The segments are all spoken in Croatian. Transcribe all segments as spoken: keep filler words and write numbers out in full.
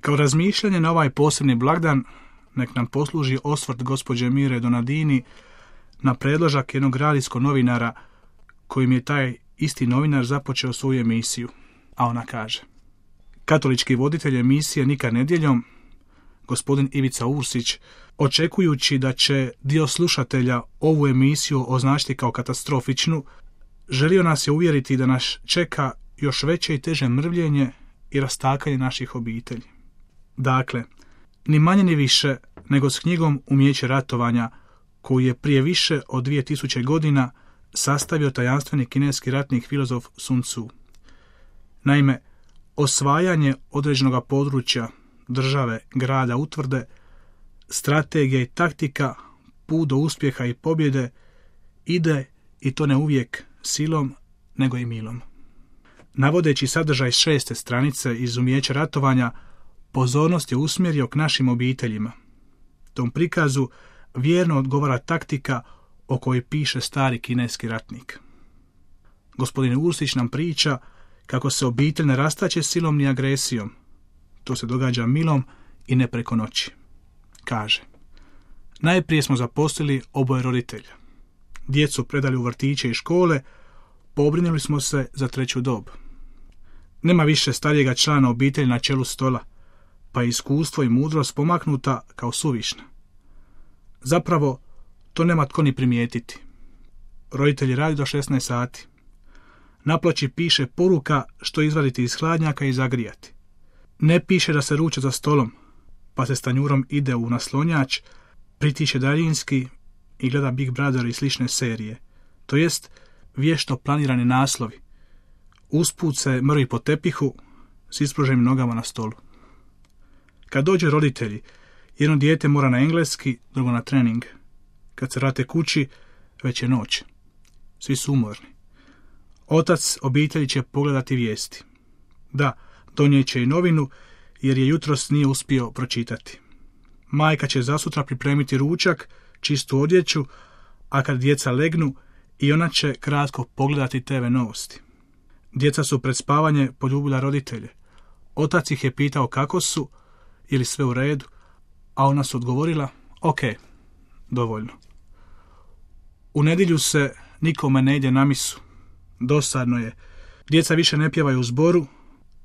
Kao razmišljanje na ovaj posebni blagdan, nek nam posluži osvrt gospođe Mire Donadini na predložak jednog radijskog novinara kojim je taj isti novinar započeo svoju emisiju. A ona kaže: katolički voditelj emisije Nikad nedjeljom, gospodin Ivica Ursić, očekujući da će dio slušatelja ovu emisiju označiti kao katastrofičnu, želio nas je uvjeriti da nas čeka još veće i teže mrvljenje i rastakanje naših obitelji. Dakle, ni manje ni više nego s knjigom Umijeće ratovanja, koju je prije više od dvije tisuće godina sastavio tajanstveni kineski ratnik filozof Sun Tzu. Naime, osvajanje određenog područja, države, grada, utvrde, strategija i taktika, put do uspjeha i pobjede ide, i to ne uvijek silom, nego i milom. Navodeći sadržaj šeste stranice iz Umijeća ratovanja, pozornost je usmjerio k našim obiteljima. Tom prikazu vjerno odgovara taktika o kojoj piše stari kineski ratnik. Gospodin Ursić nam priča kako se obitelj ne rastače silom ni agresijom. To se događa milom i ne preko noći. Kaže: najprije smo zaposlili oboje roditelja. Djecu predali u vrtiće i škole, pobrinuli smo se za treću dob. Nema više starijega člana obitelji na čelu stola, pa je iskustvo i mudrost pomaknuta kao suvišna. Zapravo, to nema tko ni primijetiti. Roditelji radi do šesnaest sati. Na ploči piše poruka što izvaditi iz hladnjaka i zagrijati. Ne piše da se ruča za stolom, pa se s tanjurom ide u naslonjač, pritiče daljinski i gleda Big Brother i slične serije. To jest vješto planirani naslovi. Usput se mrvi po tepihu s ispruženim nogama na stolu. Kad dođe roditelji, jedno dijete mora na engleski, drugo na trening. Kad se vrate kući, već je noć. Svi su umorni. Otac obitelji će pogledati vijesti. Da, donijet će i novinu, jer je jutros nije uspio pročitati. Majka će zasutra pripremiti ručak, čistu odjeću, a kad djeca legnu, i ona će kratko pogledati te ve novosti. Djeca su pred spavanje poljubila roditelje. Otac ih je pitao kako su, je li sve u redu, a ona su odgovorila: ok, dovoljno. U nedjelju se nikome ne ide na misu. Dosadno je. Djeca više ne pjevaju u zboru,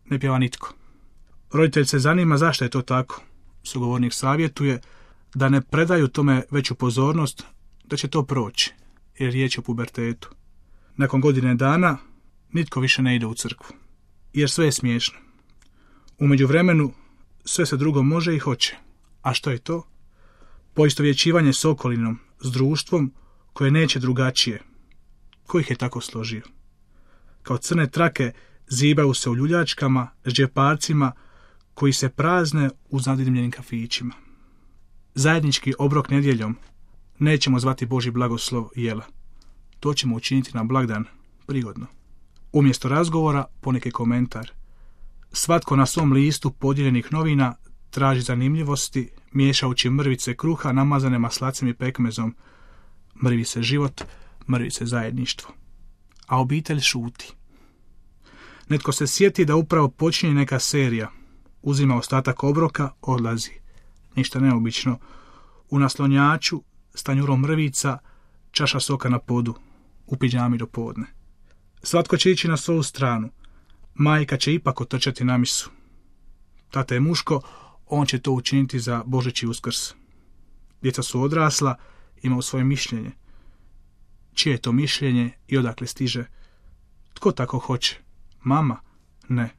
ne pjeva nitko. Roditelj se zanima zašto je to tako. Sugovornik savjetuje da ne predaju tome veću pozornost, da će to proći, jer riječ je o pubertetu. Nakon godine dana nitko više ne ide u crkvu, jer sve je smiješno. U međuvremenu sve se drugo može i hoće. A što je to? Poistovjećivanje s okolinom, s društvom koje neće drugačije. Ko ih je tako složio? Kao crne trake zibaju se u ljuljačkama s džeparcima koji se prazne u zadimljenim kafićima. Zajednički obrok nedjeljom nećemo zvati Božji blagoslov jela. To ćemo učiniti na blagdan, prigodno. Umjesto razgovora poneki komentar. Svatko na svom listu podijeljenih novina traži zanimljivosti, miješajući mrvice kruha namazane maslacem i pekmezom. Mrvi se život, mrvi se zajedništvo. A obitelj šuti. Netko se sjeti da upravo počinje neka serija. Uzima ostatak obroka, odlazi. Ništa neobično. U naslonjaču, s tanjurom mrvica, čaša soka na podu, u pidžami do podne. Svatko će ići na svoju stranu. Majka će ipak otrčati na misu. Tata je muško, on će to učiniti za Božić i Uskrs. Djeca su odrasla, imaju svoje mišljenje. Čije je to mišljenje i odakle stiže? Tko tako hoće? Mama? Ne.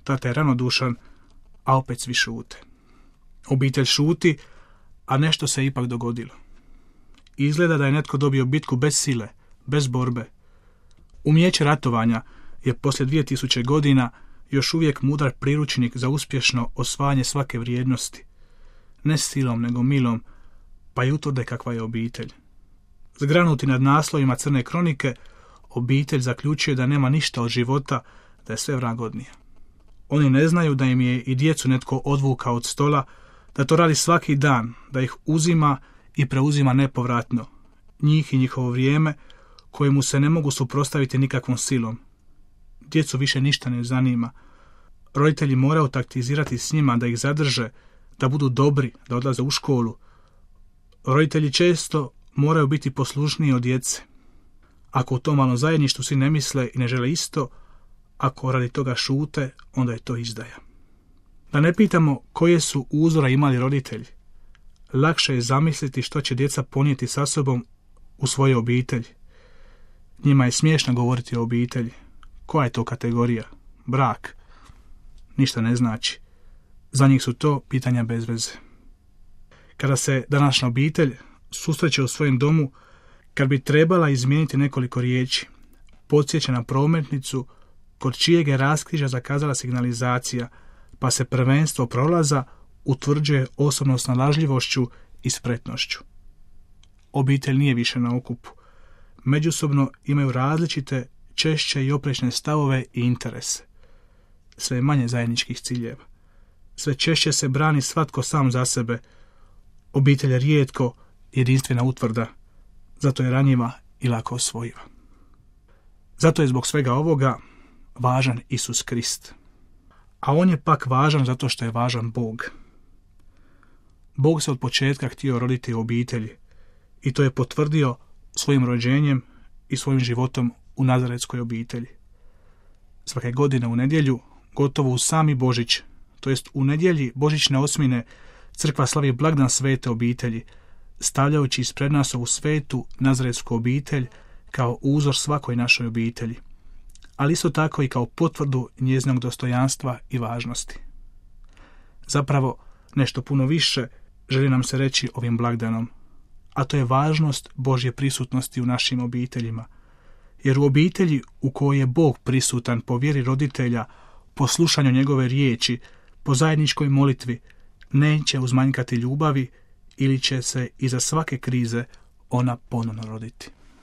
Tata je ranodušan, a opet svi šute. Obitelj šuti, a nešto se ipak dogodilo. Izgleda da je netko dobio bitku bez sile, bez borbe. Umijeće ratovanja je poslije dvije tisuće godina još uvijek mudar priručnik za uspješno osvajanje svake vrijednosti. Ne silom, nego milom, pa i utvrde kakva je obitelj. Zgranuti nad naslovima crne kronike, obitelj zaključuje da nema ništa od života, da je sve vragodnije. Oni ne znaju da im je i djecu netko odvukao od stola, da to radi svaki dan, da ih uzima i preuzima nepovratno, njih i njihovo vrijeme, kojemu se ne mogu suprotstaviti nikakvom silom. Djecu više ništa ne zanima. Roditelji moraju taktizirati s njima da ih zadrže, da budu dobri, da odlaze u školu. Roditelji često moraju biti poslušniji od djece. Ako u tom malom zajedništvu svi ne misle i ne žele isto, ako radi toga šute, onda je to izdaja. Da ne pitamo koje su uzora imali roditelji. Lakše je zamisliti što će djeca ponijeti sa sobom u svoje obitelji. Njima je smiješno govoriti o obitelji. Koja je to kategorija? Brak. Ništa ne znači. Za njih su to pitanja bez veze. Kada se današnja obitelj susreće u svojem domu, kad bi trebala izmijeniti nekoliko riječi, podsjeća na prometnicu kod čijeg je raskrižja zakazala signalizacija, pa se prvenstvo prolaza utvrđuje osobnom snalažljivošću i spretnošću. Obitelj nije više na okupu. Međusobno imaju različite, češće i oprečne stavove i interese. Sve je manje zajedničkih ciljeva. Sve češće se brani svatko sam za sebe. Obitelj je rijetko jedinstvena utvrda, zato je ranjiva i lako osvojiva. Zato je zbog svega ovoga važan Isus Krist. A on je pak važan zato što je važan Bog. Bog se od početka htio roditi u obitelji i to je potvrdio svojim rođenjem i svojim životom u nazaretskoj obitelji. Svake godine u nedjelju, gotovo u sami Božić, to jest u nedjelji božićne osmine, crkva slavi blagdan svete obitelji, stavljajući ispred nas ovu svetu nazaretsku obitelj kao uzor svakoj našoj obitelji, ali isto tako i kao potvrdu njezinog dostojanstva i važnosti. Zapravo, nešto puno više želi nam se reći ovim blagdanom, a to je važnost Božje prisutnosti u našim obiteljima, jer u obitelji u kojoj je Bog prisutan po vjeri roditelja, po slušanju njegove riječi, po zajedničkoj molitvi, neće uzmanjkati ljubavi ili će se iza svake krize ona ponovno roditi.